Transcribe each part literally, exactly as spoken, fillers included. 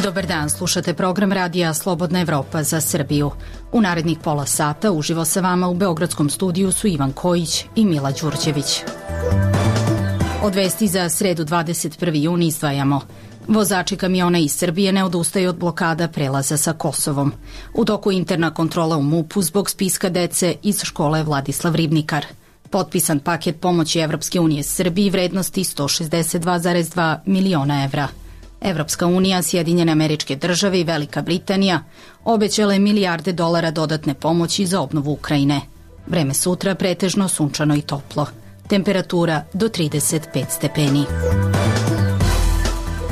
Dobar dan, slušate program radija Slobodna Evropa za Srbiju. U narednih pola sata uživo sa vama u beogradskom studiju su Ivan Kojić i Mila Đurđević. Od vesti za sredu dvadeset prvi jun izdvajamo. Vozači kamiona iz Srbije ne odustaju od blokada prelaza sa Kosovom. U toku interna kontrola u MUP-u zbog spiska dece iz škole Vladislav Ribnikar. Potpisan paket pomoći Evropske unije Srbiji vrednosti sto šezdeset dva zarez dva miliona evra. Evropska unija, Sjedinjene Američke Države i Velika Britanija obećale milijarde dolara dodatne pomoći za obnovu Ukrajine. Vreme sutra pretežno sunčano i toplo. Temperatura do trideset pet stepeni.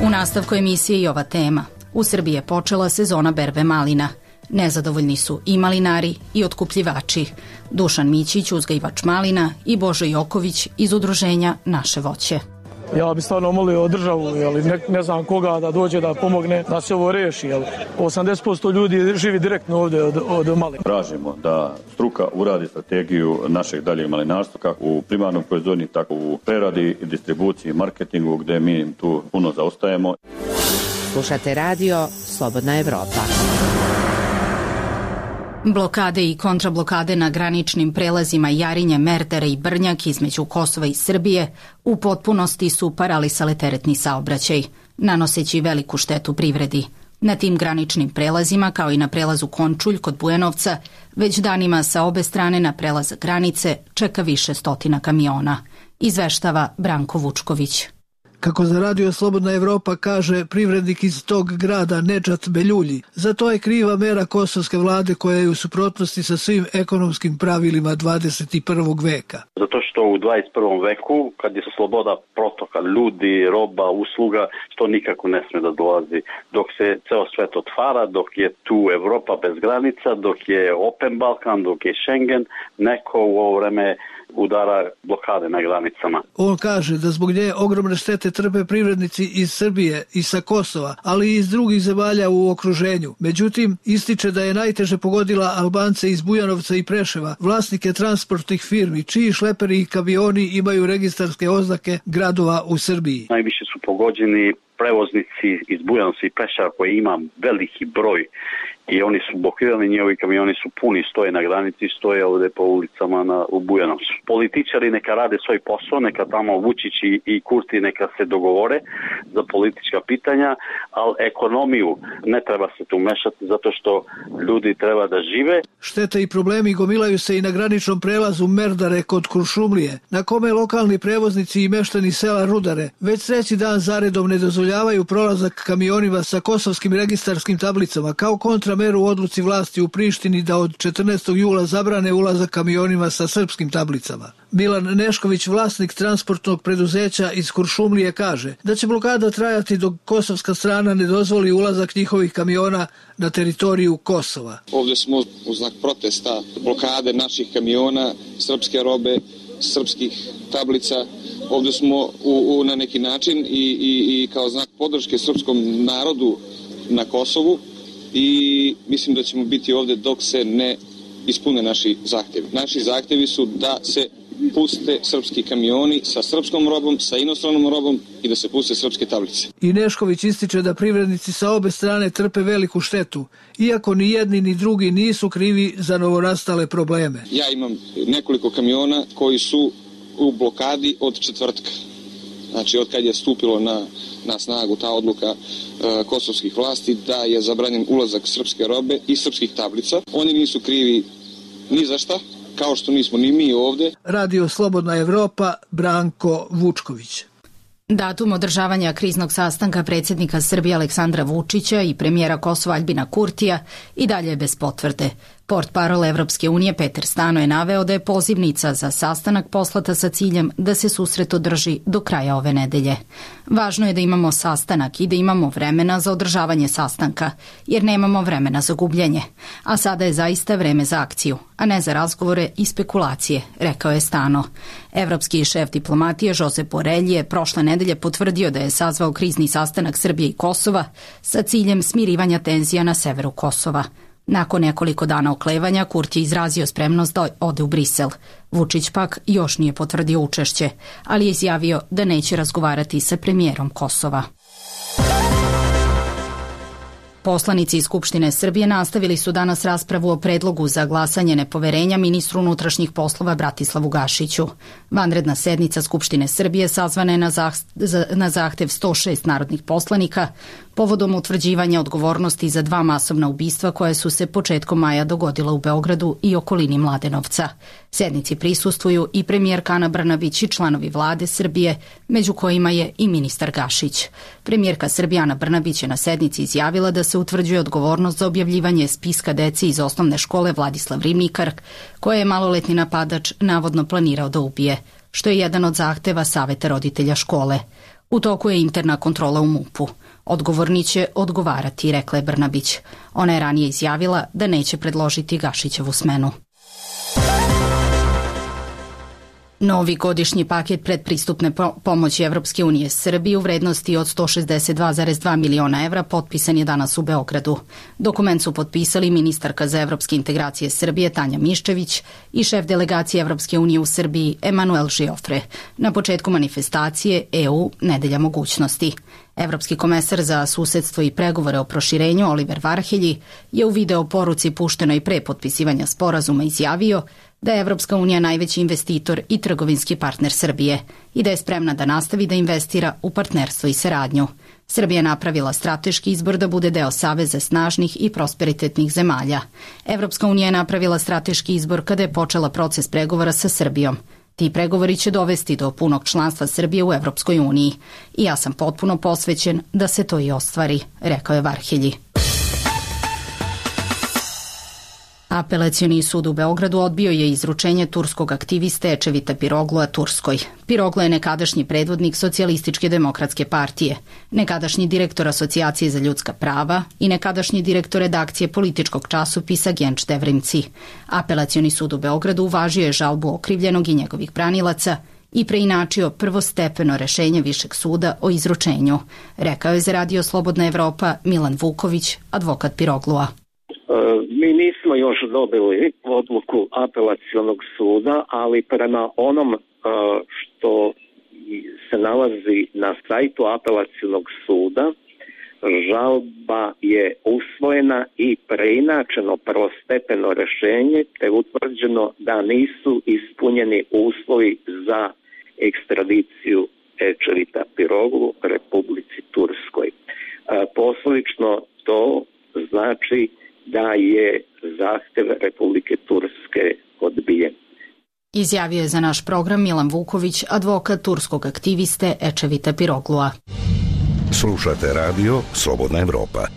U nastavku emisije i ova tema. U Srbiji je počela sezona berbe malina. Nezadovoljni su i malinari i otkupljivači. Dušan Mićić, uzgajivač malina, i Božo Joković iz udruženja Naše voće. Ja bi stvarno molio državu, jeli, ne, ne znam koga da dođe da pomogne da se ovo reši. Jeli. osamdeset posto ljudi živi direktno ovdje od, od malina. Tražimo da struka uradi strategiju našeg daljeg malinarstva kako u primarnom proizvodnji, tako u preradi, distribuciji i marketingu gdje mi tu puno zaostajemo. Slušate radio Slobodna Evropa. Blokade i kontrablokade na graničnim prelazima Jarinje, Merdare i Brnjak između Kosova i Srbije u potpunosti su paralisale teretni saobraćaj, nanoseći veliku štetu privredi. Na tim graničnim prelazima, kao i na prelazu Končulj kod Bujanovca, već danima sa obe strane na prelazak granice čeka više stotina kamiona, izveštava Branko Vučković. Kako za radio Slobodna Evropa kaže privrednik iz tog grada Nedžat Beljulji, za to je kriva mera kosovske vlade koja je u suprotnosti sa svim ekonomskim pravilima dvadeset prvog veka. Zato što u dvadeset prvom veku, kad je sloboda protoka ljudi, roba, usluga, to nikako ne sme da dolazi. Dok se ceo svet otvara, dok je tu Evropa bez granica, dok je Open Balkan, dok je Schengen, neko u ovo vreme udara blokade na granicama. On kaže da zbog nje ogromne štete trpe privrednici iz Srbije i sa Kosova, ali i iz drugih zemalja u okruženju. Međutim, ističe da je najteže pogodila Albance iz Bujanovca i Preševa, vlasnike transportnih firmi, čiji šleperi i kamioni imaju registarske oznake gradova u Srbiji. Najviše su pogođeni prevoznici iz Bujanovca i Preševa koji ima veliki broj i oni su blokirani, njihovi kamioni su puni, stoje na granici, stoje ovdje po ulicama na, u Bujanovcu. Političari neka rade svoj posao, neka tamo Vučić i, i Kurti neka se dogovore za politička pitanja, ali ekonomiju ne treba se tu mešati zato što ljudi treba da žive. Štete i problemi gomilaju se i na graničnom prelazu Merdare kod Kuršumlije, na kome lokalni prevoznici i meštani sela Rudare već treći dan zaredom ne dozvoljavaju prolazak kamionima sa kosovskim registarskim tablicama kao kontra meru u odluci vlasti u Prištini da od četrnaestog jula zabrane ulazak kamionima sa srpskim tablicama. Milan Nešković, vlasnik transportnog preduzeća iz Kuršumlije, kaže da će blokada trajati dok kosovska strana ne dozvoli ulazak njihovih kamiona na teritoriju Kosova. Ovdje smo u znak protesta blokade naših kamiona, srpske robe, srpskih tablica. Ovdje smo u, u, na neki način i, i, i kao znak podrške srpskom narodu na Kosovu. I mislim da ćemo biti ovdje dok se ne ispune naši zahtjevi. Naši zahtjevi su da se puste srpski kamioni sa srpskom robom, sa inostranom robom i da se puste srpske tablice. I Nešković ističe da privrednici sa obe strane trpe veliku štetu, iako ni jedni ni drugi nisu krivi za novonastale probleme. Ja imam nekoliko kamiona koji su u blokadi od četvrtka. Znači, od kad je stupilo na, na snagu ta odluka e, kosovskih vlasti da je zabranjen ulazak srpske robe i srpskih tablica. Oni nisu krivi ni za šta, kao što nismo ni mi ovdje. Radio Slobodna Evropa, Branko Vučković. Datum održavanja kriznog sastanka predsjednika Srbije Aleksandra Vučića i premijera Kosova Aljbina Kurtija i dalje je bez potvrde. Portparol Evropske unije Peter Stano je naveo da je pozivnica za sastanak poslata sa ciljem da se susret održi do kraja ove nedelje. Važno je da imamo sastanak i da imamo vremena za održavanje sastanka, jer nemamo vremena za gubljenje. A sada je zaista vreme za akciju, a ne za razgovore i spekulacije, rekao je Stano. Evropski šef diplomatije Josep Borelj je prošle nedelje potvrdio da je sazvao krizni sastanak Srbije i Kosova sa ciljem smirivanja tenzija na severu Kosova. Nakon nekoliko dana oklevanja, Kurti je izrazio spremnost da ode u Brisel. Vučić pak još nije potvrdio učešće, ali je izjavio da neće razgovarati sa premijerom Kosova. Poslanici iz Skupštine Srbije nastavili su danas raspravu o predlogu za glasanje nepoverenja ministru unutrašnjih poslova Bratislavu Gašiću. Vanredna sednica Skupštine Srbije sazvana je na, zah na zahtev sto šest narodnih poslanika povodom utvrđivanja odgovornosti za dva masovna ubistva koja su se početkom maja dogodila u Beogradu i okolini Mladenovca. Sednici prisustvuju i premijerka Ana Brnabić i članovi vlade Srbije, među kojima je i ministar Gašić. Premijerka Srbije Ana Brnabić je na sednici izjavila da se utvrđuje odgovornost za objavljivanje spiska dece iz osnovne škole Vladislav Rimnikar, koje je maloletni napadač navodno planirao da ubije, što je jedan od zahteva Saveta roditelja škole. U toku je interna kontrola u MUP-u. Odgovorni će odgovarati, rekla je Brnabić. Ona je ranije izjavila da neće predložiti Gašićevu smenu. Novi godišnji paket predpristupne pomoći Evropske unije Srbiji u vrednosti od sto šezdeset dva zarez dva miliona evra potpisan je danas u Beogradu. Dokument su potpisali ministarka za evropske integracije Srbije Tanja Miščević i šef delegacije Evropske unije u Srbiji Emanuel Žiofre na početku manifestacije E U Nedelja mogućnosti. Evropski komesar za susedstvo i pregovore o proširenju Oliver Varhelji je u video poruci puštenoj pre potpisivanja sporazuma izjavio da je Evropska unija najveći investitor i trgovinski partner Srbije i da je spremna da nastavi da investira u partnerstvo i saradnju. Srbija je napravila strateški izbor da bude deo saveza snažnih i prosperitetnih zemalja. Evropska unija je napravila strateški izbor kada je počela proces pregovora sa Srbijom. Ti pregovori će dovesti do punog članstva Srbije u Evropskoj uniji i ja sam potpuno posvećen da se to i ostvari, rekao je Varhelji. Apelacioni sud u Beogradu odbio je izručenje turskog aktiviste Ečevita Piroglua Turskoj. Piroglu je nekadašnji predvodnik Socijalističke demokratske partije, nekadašnji direktor Asocijacije za ljudska prava i nekadašnji direktor redakcije političkog časopisa Genč Devrimci. Apelacioni sud u Beogradu uvažio je žalbu okrivljenog i njegovih branilaca i preinačio prvostepeno rešenje Višeg suda o izručenju, rekao je za Radio Slobodna Evropa Milan Vuković, advokat Piroglua. Mi nismo još dobili odluku apelacionog suda, ali prema onom što se nalazi na sajtu apelacionog suda, žalba je usvojena i preinačeno prvostepeno rešenje, te utvrđeno da nisu ispunjeni uslovi za ekstradiciju Ečevita Piroglu Republici Turskoj. Posledično to znači da je zahtev Republike Turske odbijen. Izjavio je za naš program Milan Vuković, advokat turskog aktiviste Ečevita Piroglua. Slušate radio Slobodna Evropa.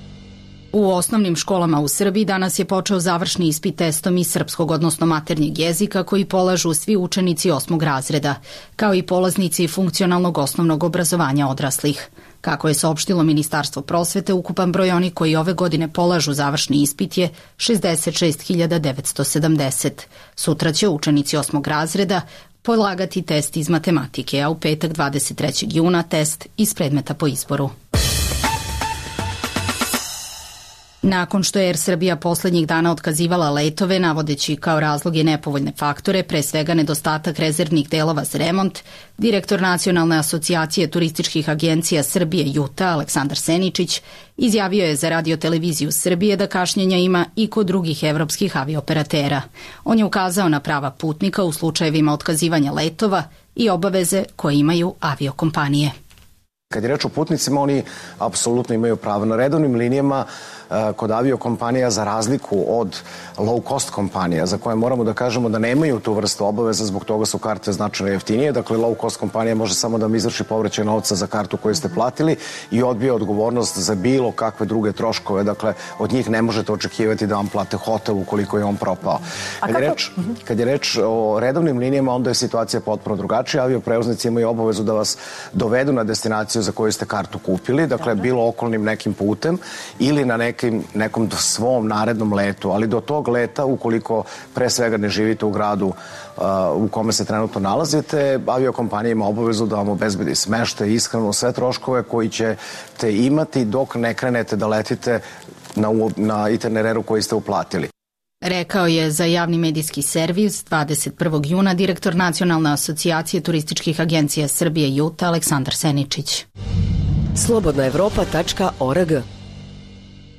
U osnovnim školama u Srbiji danas je počeo završni ispit testom iz srpskog, odnosno maternjeg jezika, koji polažu svi učenici osmog razreda, kao i polaznici funkcionalnog osnovnog obrazovanja odraslih. Kako je saopštilo Ministarstvo prosvete, ukupan broj onih koji ove godine polažu završni ispit je šezdeset šest hiljada devetsto sedamdeset. Sutra će učenici osmog razreda polagati test iz matematike, a u petak dvadeset trećeg juna test iz predmeta po izboru. Nakon što je Er Srbija poslednjih dana otkazivala letove, navodeći kao razloge nepovoljne faktore, pre svega nedostatak rezervnih delova za remont, direktor Nacionalne asocijacije turističkih agencija Srbije Juta, Aleksandar Seničić, izjavio je za Radio-televiziju Srbije da kašnjenja ima i kod drugih evropskih avioperatera. On je ukazao na prava putnika u slučajevima otkazivanja letova i obaveze koje imaju aviokompanije. Kad je reč o putnicima, oni apsolutno imaju pravo. Na redovnim linijama kod aviokompanija, za razliku od low cost kompanija, za koje moramo da kažemo da nemaju tu vrstu obaveza, zbog toga su karte značajno jeftinije. Dakle, low cost kompanija može samo da vam izvrši povraćaj novca za kartu koju ste platili i odbije odgovornost za bilo kakve druge troškove. Dakle, od njih ne možete očekivati da vam plate hotel ukoliko je on propao. Kad je reč, kad je reč o redovnim linijama, onda je situacija potpuno drugačija. Avioprevoznici imaju obavezu da vas dovedu na destinaciju za koju ste kartu kupili, dakle, bilo okolnim nekim putem ili na nekim, nekom svom narednom letu, ali do tog leta, ukoliko pre svega ne živite u gradu uh, u kome se trenutno nalazite, aviokompanija ima obavezu da vam obezbedi smeštaj, ishranu, sve troškove koji ćete imati dok ne krenete da letite na, na itinereru koji ste uplatili. Rekao je za javni medijski servis dvadeset prvog juna direktor Nacionalne asocijacije turističkih agencija Srbije Juta Aleksandar Seničić. slobodna evropa tačka org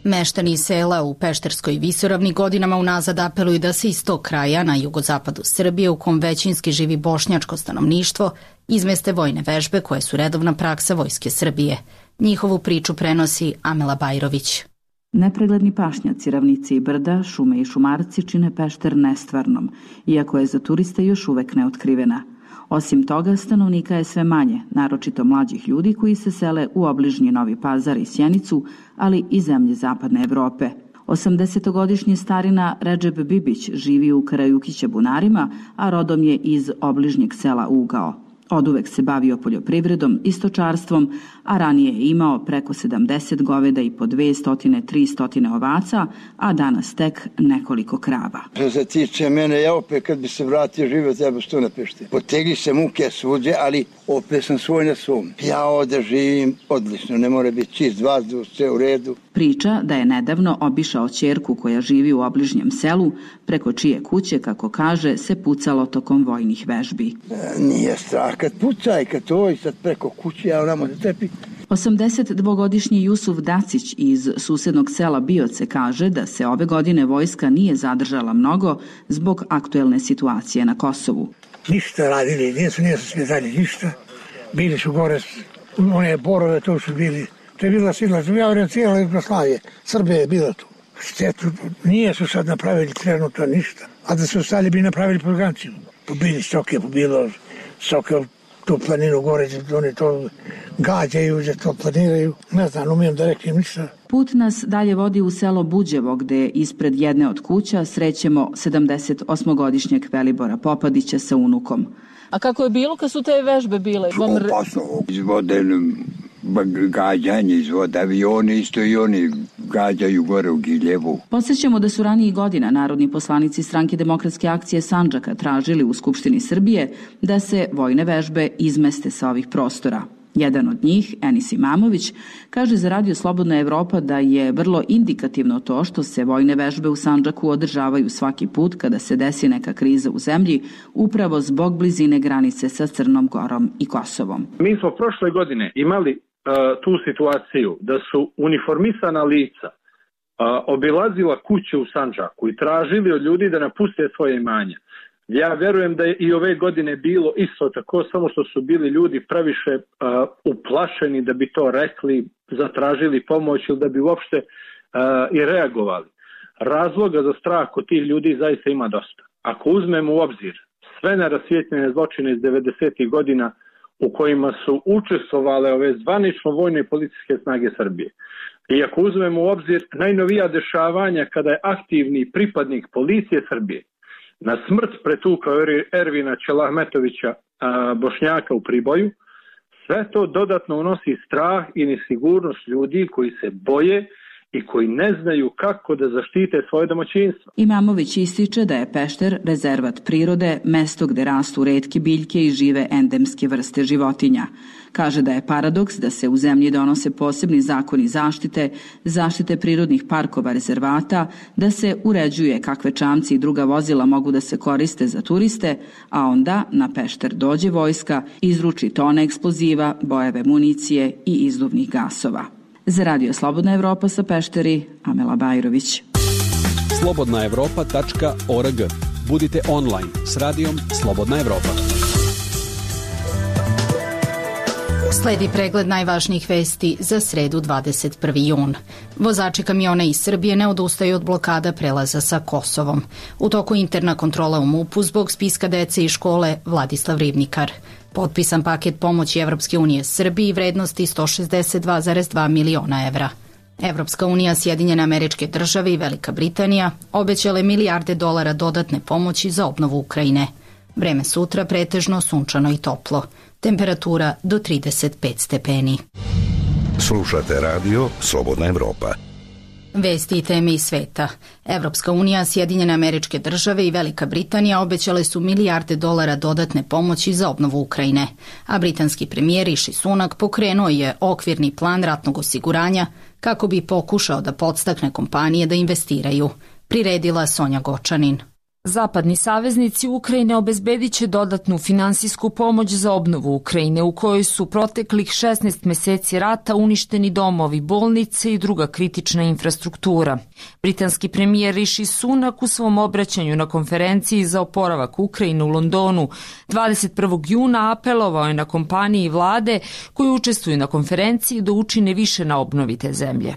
Meštani sela u Pešterskoj visoravni godinama unazad apeluju da se iz tog kraja na jugozapadu Srbije, u kom većinski živi bošnjačko stanovništvo, izmeste vojne vežbe koje su redovna praksa Vojske Srbije. Njihovu priču prenosi Amela Bajrović. Nepregledni pašnjaci, ravnice i brda, šume i šumarci čine Pešter nestvarnom, iako je za turiste još uvek neotkrivena. Osim toga, stanovnika je sve manje, naročito mlađih ljudi koji se sele u obližnji Novi Pazar i Sjenicu, ali i zemlje zapadne Evrope. osamdesetogodišnji starina Redžep Bibić živi u Karajukića Bunarima, a rodom je iz obližnjeg sela Ugao. Oduvek se bavio poljoprivredom i stočarstvom, a ranije je imao preko sedamdeset goveda i po dvesta do trista ovaca, a danas tek nekoliko krava. Što se tiče mene, ja opet kad bi se vratio živio, treba što na Pešti. Potegli se muke svuđe, ali opet sam svoj na svom. Ja ovde živim odlično, ne mora biti čist vazduh, sve u redu. Priča da je nedavno obišao ćerku koja živi u obližnjem selu, preko čije kuće, kako kaže, se pucalo tokom vojnih vežbi. E, nije strah kad pucaj, kad to i sad preko kuće, ja onamo da tepi. osamdesetdvogodišnji Jusuf Dacić iz susednog sela Bioce kaže da se ove godine vojska nije zadržala mnogo zbog aktuelne situacije na Kosovu. Ništa radili, nisu, nisu svjetali ništa. Bili su gore, one borove, to su bili, to je bila sila, ja vrem cijela Jugoslavije, Srbija je bila tu. Štetu, nije su sad napravili trenutno ništa, a da su ostali bi napravili programciju. Pobili stoke, pobilo stoke, tu planinu gore, oni to gađaju, da to planiraju. Ne znam, umijem da reknem ništa. Put nas dalje vodi u selo Buđevo, gde ispred jedne od kuća srećemo sedamdesetosmogodišnjeg Velibora Popadića sa unukom. A kako je bilo kad su te vežbe bile? Opasno, izvode gađanje, izvode avioni, isto i oni gađaju gore u Giljevu. Podsjećamo da su ranijih godina narodni poslanici Stranke demokratske akcije Sandžaka tražili u Skupštini Srbije da se vojne vežbe izmeste sa ovih prostora. Jedan od njih, Enis Imamović, kaže za Radio Slobodna Evropa da je vrlo indikativno to što se vojne vežbe u Sandžaku održavaju svaki put kada se desi neka kriza u zemlji, upravo zbog blizine granice sa Crnom Gorom i Kosovom. Mi smo prošle godine imali uh, tu situaciju da su uniformisana lica uh, obilazila kuće u Sandžaku i tražili od ljudi da napuste svoje imanja. Ja verujem da je i ove godine bilo isto tako, samo što su bili ljudi previše uh, uplašeni da bi to rekli, zatražili pomoć ili da bi uopšte uh, i reagovali. Razloga za strah kod tih ljudi zaista ima dosta. Ako uzmemo u obzir sve nerasvijetljene zločine iz devedesetih godina u kojima su učestvovale ove zvanično vojne i policijske snage Srbije, i ako uzmemo u obzir najnovija dešavanja kada je aktivni pripadnik policije Srbije na smrt pretukao Ervina Čelahmetovića, Bošnjaka u Priboju, sve to dodatno unosi strah i nesigurnost ljudi koji se boje i koji ne znaju kako da zaštite svoje domaćinstvo. Imamović ističe da je Pešter rezervat prirode, mesto gde rastu retke biljke i žive endemske vrste životinja. Kaže da je paradoks da se u zemlji donose posebni zakoni zaštite, zaštite prirodnih parkova, rezervata, da se uređuje kakve čamci i druga vozila mogu da se koriste za turiste, a onda na Pešter dođe vojska, izruči tone eksploziva, bojeve municije i izduvnih gasova. Za Radio Slobodna Evropa sa Pešteri, Amela Bajrović. slobodna evropa tačka org. Budite online s radijom Slobodna Evropa. Sledi pregled najvažnijih vesti za sredu dvadeset prvi jun. Vozači kamiona iz Srbije ne odustaju od blokada prelaza sa Kosovom. U toku interna kontrola u MUP-u zbog spiska dece i škole Vladislav Ribnikar. Potpisan paket pomoći Evropske unije Srbiji vrednosti sto šezdeset dva zarez dva miliona evra. Evropska unija, Sjedinjene Američke Države i Velika Britanija obećale milijarde dolara dodatne pomoći za obnovu Ukrajine. Vreme sutra pretežno sunčano i toplo. Temperatura do trideset pet stepeni. Slušate radio Slobodna Evropa. Vesti i teme iz sveta. Evropska unija, Sjedinjene Američke Države i Velika Britanija obećale su milijarde dolara dodatne pomoći za obnovu Ukrajine, a britanski premijer Rishi Sunak pokrenuo je okvirni plan ratnog osiguranja kako bi pokušao da podstakne kompanije da investiraju. Priredila Sonja Gočanin. Zapadni saveznici Ukrajine obezbedit će dodatnu finansijsku pomoć za obnovu Ukrajine, u kojoj su proteklih šesnaest meseci rata uništeni domovi, bolnice i druga kritična infrastruktura. Britanski premijer Rishi Sunak u svom obraćanju na konferenciji za oporavak Ukrajine u Londonu dvadeset prvog juna apelovao je na kompanije i vlade koji učestvuju na konferenciji da učine više na obnovi te zemlje.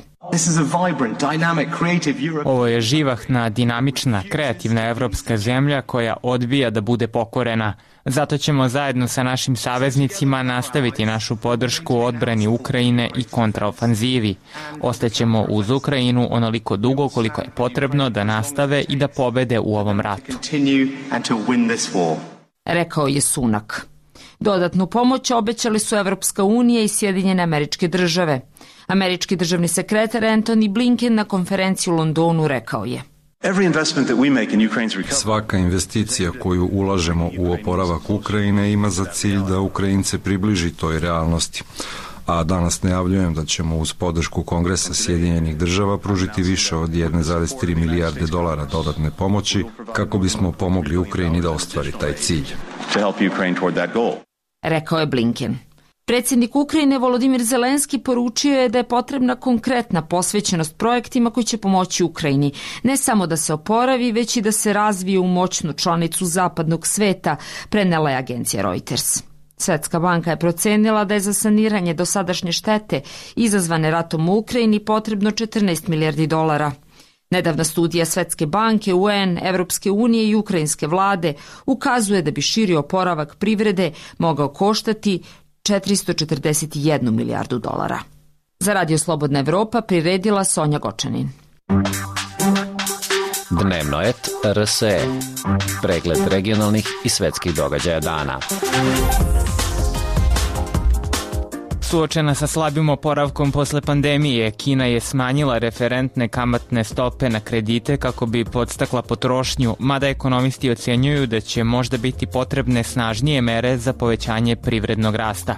Ovo je živahna, dinamična, kreativna evropska zemlja koja odbija da bude pokorena. Zato ćemo zajedno sa našim saveznicima nastaviti našu podršku odbrani Ukrajine i kontraofanzivi. Ostaćemo uz Ukrajinu onoliko dugo koliko je potrebno da nastave i da pobede u ovom ratu. Rekao je Sunak. Dodatnu pomoć obećali su Evropska unija i Sjedinjene Američke Države. Američki državni sekretar Antony Blinken na konferenciji u Londonu rekao je: Svaka investicija koju ulažemo u oporavak Ukrajine ima za cilj da Ukrajince približi toj realnosti. A danas najavljujem da ćemo uz podršku Kongresa Sjedinjenih Država pružiti više od jedne zarez tri milijarde dolara dodatne pomoći kako bismo pomogli Ukrajini da ostvari taj cilj. Rekao je Blinken. Predsjednik Ukrajine Volodimir Zelenski poručio je da je potrebna konkretna posvećenost projektima koji će pomoći Ukrajini, ne samo da se oporavi, već i da se razvije u moćnu članicu zapadnog sveta, prenela je agencija Reuters. Svetska banka je procenila da je za saniranje dosadašnje štete izazvane ratom u Ukrajini potrebno četrnaest milijardi dolara. Nedavna studija Svetske banke, U N, Evropske unije i ukrajinske vlade ukazuje da bi širi oporavak privrede mogao koštati četiristo četrdeset jednu milijardu dolara. Za Radio Slobodna Evropa priredila Sonja Gočanin. Dnevno et R S E. Pregled regionalnih i svetskih događaja dana. Suočena sa slabim oporavkom posle pandemije, Kina je smanjila referentne kamatne stope na kredite kako bi podstakla potrošnju, mada ekonomisti ocenjuju da će možda biti potrebne snažnije mere za povećanje privrednog rasta.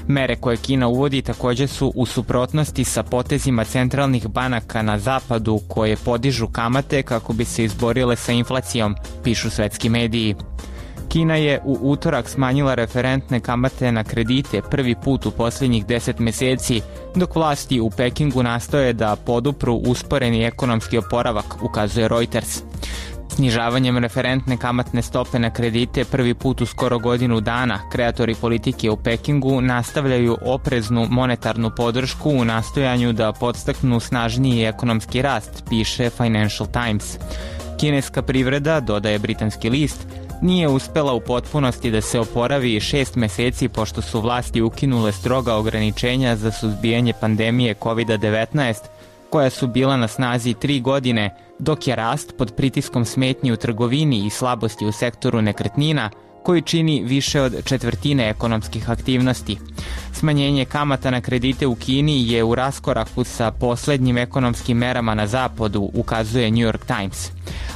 Mere koje Kina uvodi također su u suprotnosti sa potezima centralnih banaka na zapadu koje podižu kamate kako bi se izborile sa inflacijom, pišu svetski mediji. Kina je u utorak smanjila referentne kamate na kredite prvi put u posljednjih deset meseci, dok vlasti u Pekingu nastoje da podupru usporeni ekonomski oporavak, ukazuje Reuters. Snižavanjem referentne kamatne stope na kredite prvi put u skoro godinu dana, kreatori politike u Pekingu nastavljaju opreznu monetarnu podršku u nastojanju da podstaknu snažniji ekonomski rast, piše Financial Times. Kineska privreda, dodaje britanski list, nije uspela u potpunosti da se oporavi šest meseci pošto su vlasti ukinule stroga ograničenja za suzbijanje pandemije kovid devetnaest, koja su bila na snazi tri godine, dok je rast pod pritiskom smetnji u trgovini i slabosti u sektoru nekretnina, koji čini više od četvrtine ekonomskih aktivnosti. Smanjenje kamata na kredite u Kini je u raskoraku sa poslednjim ekonomskim merama na zapadu, ukazuje New York Times.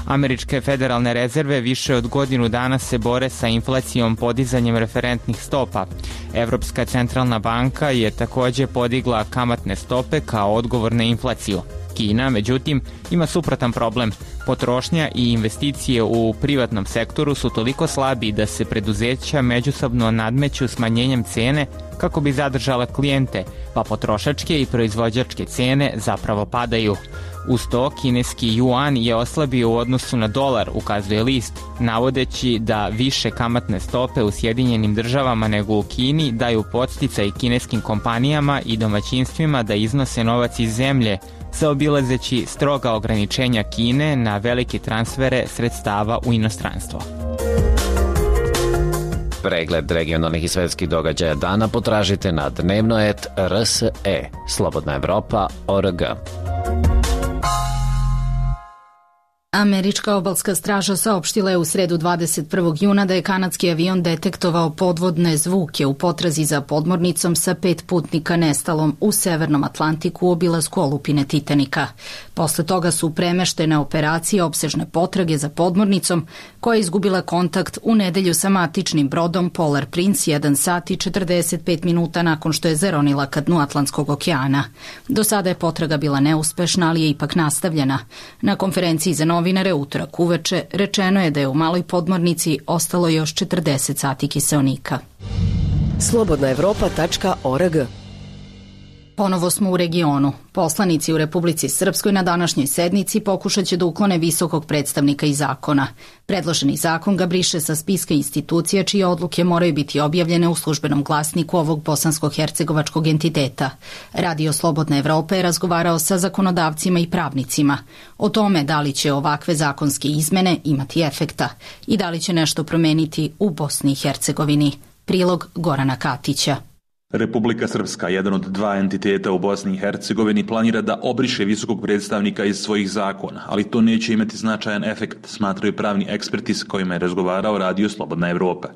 Američke federalne rezerve više od godinu dana se bore sa inflacijom podizanjem referentnih stopa. Evropska centralna banka je također podigla kamatne stope kao odgovor na inflaciju. Kina, međutim, ima suprotan problem. Potrošnja i investicije u privatnom sektoru su toliko slabi da se preduzeća međusobno nadmeću smanjenjem cene kako bi zadržala klijente, pa potrošačke i proizvođačke cene zapravo padaju. Uz to, kineski juan je oslabio u odnosu na dolar, ukazuje list, navodeći da više kamatne stope u Sjedinjenim Državama nego u Kini daju podsticaj kineskim kompanijama i domaćinstvima da iznose novac iz zemlje, zaobilazeći stroga ograničenja Kine na velike transfere sredstava u inostranstvo. Pregled regionalnih i svetskih događaja dana potražite na dnevno et R S E. Slobodna Evropa, O R G. Američka obalska straža saopštila je u sredu dvadeset prvog juna da je kanadski avion detektovao podvodne zvuke u potrazi za podmornicom sa pet putnika nestalom u Severnom Atlantiku u obilasku olupine Titanika. Posle toga su premeštene operacije opsežne potrage za podmornicom koja je izgubila kontakt u nedelju sa matičnim brodom Polar Prince jedan sat i četrdeset pet minuta nakon što je zaronila ka dnu Atlantskog okeana. Do sada je potraga bila neuspešna, ali je ipak nastavljena. Na konferenciji za novinare novinare utorak uveče rečeno je da je u Maloj Podmornici ostalo još četrdeset sati kiseonika. slobodna evropa tačka org. Ponovo smo u regionu. Poslanici u Republici Srpskoj na današnjoj sednici pokušat će da uklone visokog predstavnika iz zakona. Predloženi zakon ga briše sa spiska institucija čije odluke moraju biti objavljene u službenom glasniku ovog bosansko-hercegovačkog entiteta. Radio Slobodna Evropa je razgovarao sa zakonodavcima i pravnicima o tome da li će ovakve zakonske izmene imati efekta i da li će nešto promeniti u Bosni i Hercegovini. Prilog Gorana Katića. Republika Srpska, jedan od dva entiteta u Bosni i Hercegovini, planira da obriše visokog predstavnika iz svojih zakona, ali to neće imati značajan efekt, smatraju pravni eksperti s kojima je razgovarao Radio Slobodna Evropa.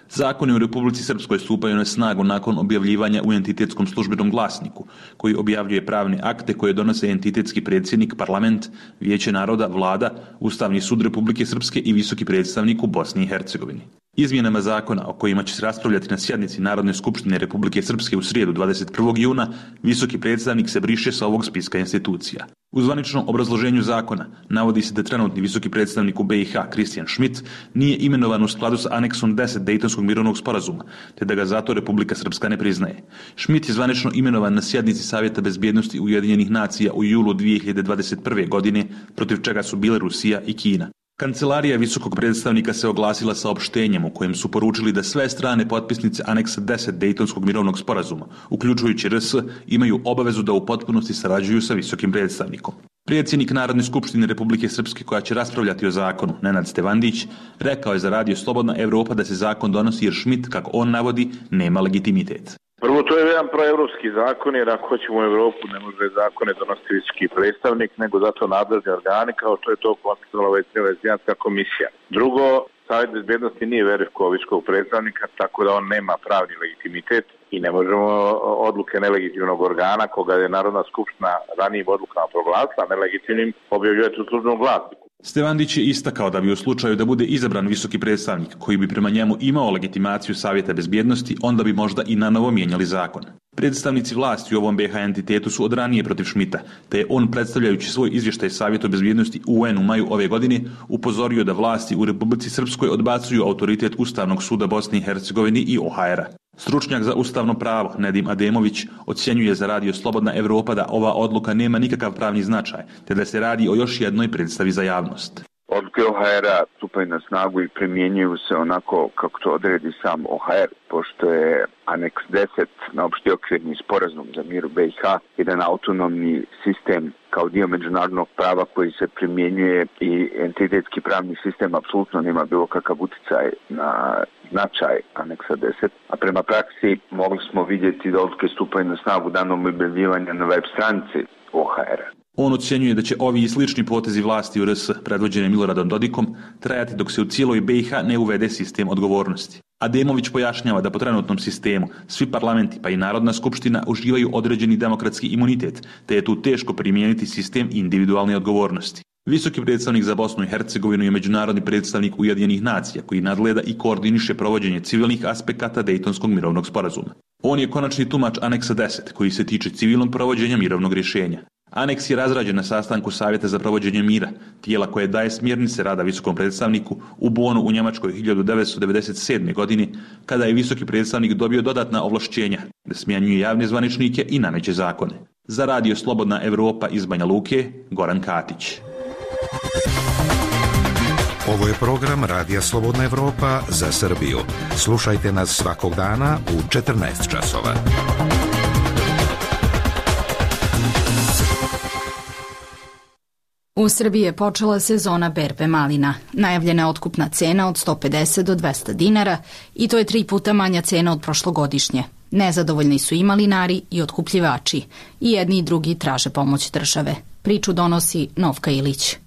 Zakoni u Republici Srpskoj stupaju na snagu nakon objavljivanja u entitetskom službenom glasniku, koji objavljuje pravne akte koje donose entitetski predsjednik, parlament, Vijeće naroda, vlada, Ustavni sud Republike Srpske i visoki predstavnik u Bosni i Hercegovini. Izmjenama zakona o kojima će se raspravljati na sjednici Narodne skupštine Republike Srpske u srijedu dvadeset prvog juna, visoki predstavnik se briše sa ovog spiska institucija. U zvaničnom obrazloženju zakona navodi se da trenutni visoki predstavnik u B i H, Kristijan Schmidt, nije imenovan u skladu sa aneksom deset Dejtonskog mirovnog sporazuma, te da ga zato Republika Srpska ne priznaje. Schmidt je zvanično imenovan na sjednici Savjeta bezbjednosti Ujedinjenih nacija u julu dvije hiljade dvadeset prve. godine, protiv čega su bile Rusija i Kina. Kancelarija visokog predstavnika se oglasila saopštenjem u kojem su poručili da sve strane potpisnice aneksa deset Dejtonskog mirovnog sporazuma, uključujući R S, imaju obavezu da u potpunosti sarađuju sa visokim predstavnikom. Predsjednik Narodne skupštine Republike Srpske, koja će raspravljati o zakonu, Nenad Stevandić, rekao je za Radio Slobodna Evropa da se zakon donosi jer Schmidt, kako on navodi, nema legitimitet. Prvo, to je jedan proevropski zakon, jer ako hoćemo u Evropu ne može zakone donositi visoki predstavnik, nego zato nadležni organi, kao što je to konstatovala Venecijanska komisija. Drugo, Savjet bezbjednosti nije verifikovao visokog predstavnika, tako da on nema pravni legitimitet i ne možemo odluke nelegitimnog organa, koga je Narodna skupština ranijim odlukama proglasila nelegitimnim, objavljivati u službenom glasniku. Stevandić je istakao da bi u slučaju da bude izabran visoki predstavnik koji bi prema njemu imao legitimaciju Savjeta bezbjednosti, onda bi možda i na novo mijenjali zakon. Predstavnici vlasti u ovom B H entitetu su od ranije protiv Schmidta, te je on, predstavljajući svoj izvještaj Savjetu bezbjednosti U N u maju ove godine, upozorio da vlasti u Republici Srpskoj odbacuju autoritet Ustavnog suda Bosne i Hercegovine i O H R-a. Stručnjak za ustavno pravo Nedim Ademović ocjenjuje za Radio Slobodna Evropa da ova odluka nema nikakav pravni značaj, te da se radi o još jednoj predstavi za javnost. Odluke O H R-a stupaju na snagu i primjenjuju se onako kako to odredi sam O H R, pošto je aneks deset na opšti okvirni sporazum za mir u B i H jedan autonomni sistem kao dio međunarodnog prava koji se primjenjuje i entitetski pravni sistem apsolutno nema bilo kakav uticaj na značaj aneksa deset, a prema praksi mogli smo vidjeti da odluke stupaju na snagu danom objavljivanja na web stranici O H R-a. On ocjenjuje da će ovi i slični potezi vlasti u R S, predvođene Miloradom Dodikom, trajati dok se u cijeloj B i H ne uvede sistem odgovornosti. Ademović pojašnjava da po trenutnom sistemu svi parlamenti pa i Narodna skupština uživaju određeni demokratski imunitet, te je tu teško primijeniti sistem individualne odgovornosti. Visoki predstavnik za Bosnu i Hercegovinu je međunarodni predstavnik Ujedinjenih nacija koji nadgleda i koordiniše provođenje civilnih aspekata Dejtonskog mirovnog sporazuma. On je konačni tumač aneksa deset koji se tiče civilnog provođenja mirovnog rješenja. Aneks je razrađen na sastanku Savjeta za provođenje mira, tijela koje daje smjernice rada visokom predstavniku u Bonu u Njemačkoj hiljadu devetsto devedeset sedme. godine, kada je visoki predstavnik dobio dodatna ovlašćenja da smjenjuje javne zvaničnike i nameće zakone. Za Radio Slobodna Evropa iz Banja Luke, Goran Katić. Ovo je program Radija Slobodna Evropa za Srbiju. Slušajte nas svakog dana u četrnaest časova. U Srbiji je počela sezona berbe malina. Najavljena je otkupna cena od sto pedeset do dvesta dinara i to je tri puta manja cena od prošlogodišnje. Nezadovoljni su i malinari i otkupljivači. I jedni i drugi traže pomoć države. Priču donosi Novka Ilić.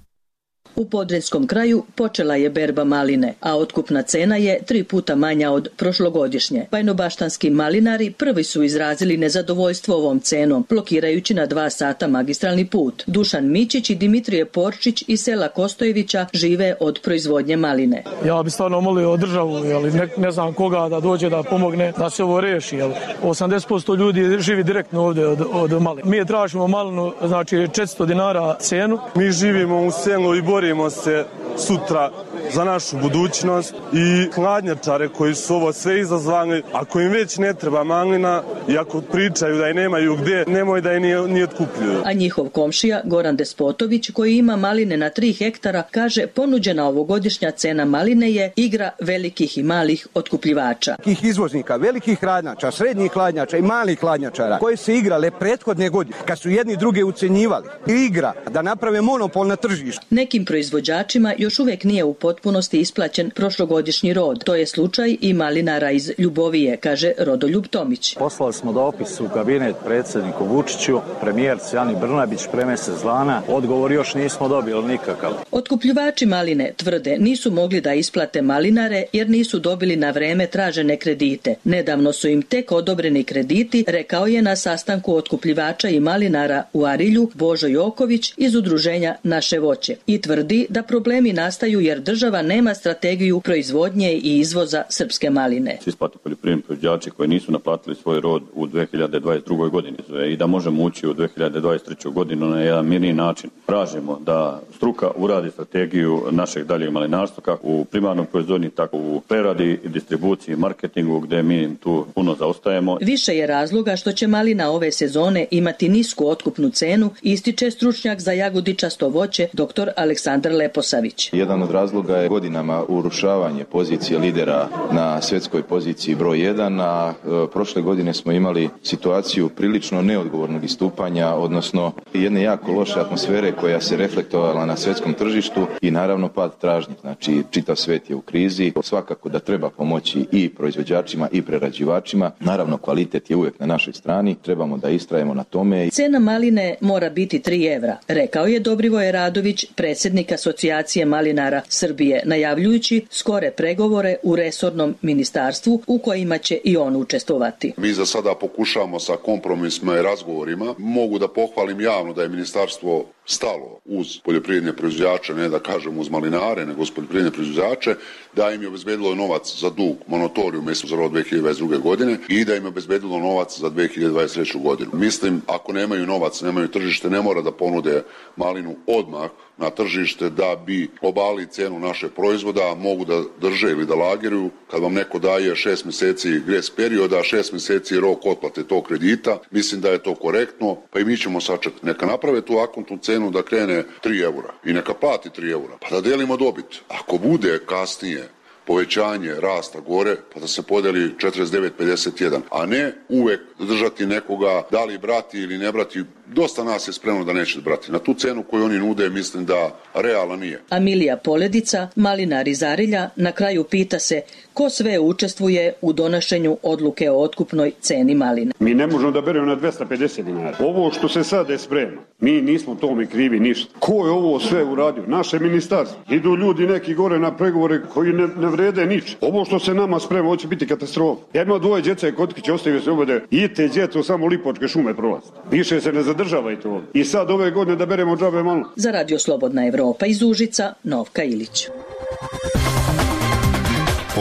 U Podrinjskom kraju počela je berba maline, a otkupna cena je tri puta manja od prošlogodišnje. Bajnobaštanski malinari prvi su izrazili nezadovoljstvo ovom cenom, blokirajući na dva sata magistralni put. Dušan Mićić i Dimitrije Porčić iz sela Kostojevića žive od proizvodnje maline. Ja bi stvarno molio državu, jeli, ne, ne znam koga da dođe da pomogne da se ovo reši. Jeli. osamdeset posto ljudi živi direktno ovdje od, od maline. Mi tražimo malinu, znači četiristo dinara cenu. Mi živimo u selu i Bori borimo se sutra za našu budućnost i hladnjačare koji su ovo sve izazvali, ako im već ne treba malina i ako pričaju da je nemaju gdje, nemoj da je ni, ni otkupljuju. A njihov komšija Goran Despotović, koji ima maline na tri hektara, kaže ponuđena ovogodišnja cena maline je igra velikih i malih otkupljivača. Tih izvoznika, velikih hladnjača, srednjih hladnjača i malih hladnjačara koje se igrale prethodne godine, kad su jedni druge ucenjivali, igra da naprave monopol na tržištu. Nekim proizvođačima još uvijek nije u potpunosti isplaćen prošlogodišnji rod. To je slučaj i malinara iz Ljubovije, kaže Rodoljub Tomić. Poslali smo dopis u kabinet predsjedniku Vučiću, premijerci Ani Brnabić pre mjesec dana. Odgovor još nismo dobili nikakav. Otkupljivači maline tvrde nisu mogli da isplate malinare jer nisu dobili na vreme tražene kredite. Nedavno su im tek odobreni krediti, rekao je na sastanku otkupljivača i malinara u Arilju Božo Joković iz udruženja Naše voće i tvrdi da problemi nastaju jer država nema strategiju proizvodnje i izvoza srpske maline. Isplate poljoprivredni proizvođači koji nisu naplatili svoj rod u dve hiljade dvadeset drugoj godini i da možemo ući u dve hiljade dvadeset treću godinu na jedan mirniji način. Tražimo da struka uradi strategiju našeg daljeg malinarstva kako u primarnom proizvodnji, tako u preradi i distribuciji i marketingu gdje mi tu puno zaostajemo. Više je razloga što će malina ove sezone imati nisku otkupnu cenu, ističe stručnjak za jagodičasto voće dr. Aleksandar Leposavić. Jedan od razloga je godinama urušavanje pozicije lidera na svjetskoj poziciji broj jedan, a e, prošle godine smo imali situaciju prilično neodgovornog istupanja, odnosno jedne jako loše atmosfere koja se reflektovala na svjetskom tržištu i naravno pad tražnje. Znači, čitav svijet je u krizi. Svakako da treba pomoći i proizvođačima i prerađivačima. Naravno, kvalitet je uvijek na našoj strani. Trebamo da istrajemo na tome. Cena maline mora biti tri evra, rekao je Dobrivoje Radović, predsjednik Asocijacije malinara Srbije, najavljujući skore pregovore u resornom ministarstvu u kojima će i on učestvovati. Mi za sada pokušamo sa kompromisima i razgovorima. Mogu da pohvalim javno da je ministarstvo stalo uz poljoprivredne proizvođače, ne da kažem uz malinare, nego uz poljoprivredne proizvođače, da im je obezbedilo novac za dug monotoriju mjesecu za rod dve hiljade dvadeset druge godine i da im je obezbedilo novac za dve hiljade dvadeset treću godinu. Mislim, ako nemaju novac, nemaju tržište, ne mora da ponude malinu odmah na tržište da bi obali cenu našeg proizvoda, mogu da drže ili da lageruju. Kad vam neko daje šest mjeseci gres perioda, šest mjeseci rok otplate tog kredita, mislim da je to korektno, pa i mi ćemo sačekati. Neka naprave tu akontnu cenu da krene tri eura i neka plati tri eura, pa da delimo dobit. Ako bude kasnije povećanje rasta gore, pa da se podeli četrdeset devet pedeset jedan, a ne uvek držati nekoga, da li brati ili ne brati. Dosta nas je spremno da neće brati. Na tu cenu koju oni nude, mislim da realna nije. Amilija Poledica, malinar iz Arilja, na kraju pita se ko sve učestvuje u donošenju odluke o otkupnoj ceni maline. Mi ne možemo da beremo na dvesta pedeset dinara. Ovo što se sad je sprema, mi nismo tome krivi ništa. Ko je ovo sve uradio? Naše ministarstvo. Idu ljudi neki gore na pregovore koji ne, ne vrede nič. Ovo što se nama sprema, ovo će biti katastrofa. Ja imam dvoje djece kotkiće, ostavio se obode i te djeco samo Lipočke šume prolazi. Više se ne zadržavajte ovdje. I sad ove godine da beremo džabe malo. Za Radio Slobodna Evropa iz Užica, Novka Ilić.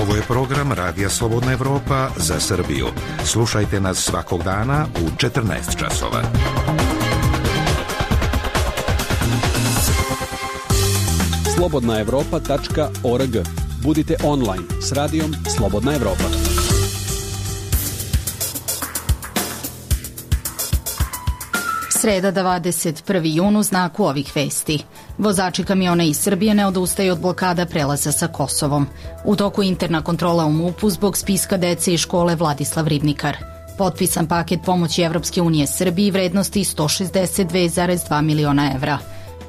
Ovo je program Radija Slobodna Evropa za Srbiju. Slušajte nas svakog dana u četrnaest časova. slobodna evropa tačka org. Budite online s radijom Slobodna Evropa. Sreda dvadeset prvi jun u znaku ovih vesti. Vozači kamiona iz Srbije ne odustaju od blokada prelaza sa Kosovom. U toku interna kontrola u MUP-u zbog spiska dece iz škole Vladislav Ribnikar. Potpisan paket pomoći Evropske unije Srbiji vrednosti sto šezdeset dve zarez dva miliona evra.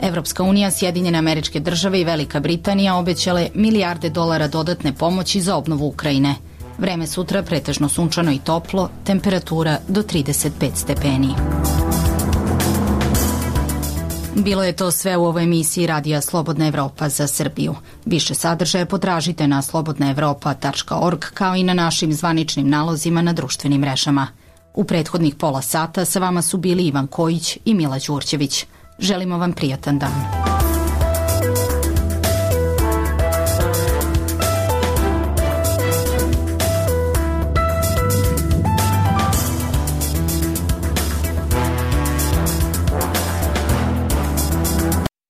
Evropska unija, Sjedinjene Američke Države i Velika Britanija obećale milijarde dolara dodatne pomoći za obnovu Ukrajine. Vreme sutra pretežno sunčano i toplo, temperatura do trideset pet stepeni. Bilo je to sve u ovoj emisiji Radija Slobodna Evropa za Srbiju. Više sadržaja potražite na slobodna evropa tačka org kao i na našim zvaničnim nalozima na društvenim mrežama. U prethodnih pola sata sa vama su bili Ivan Kojić i Mila Đurđević. Želimo vam prijatan dan.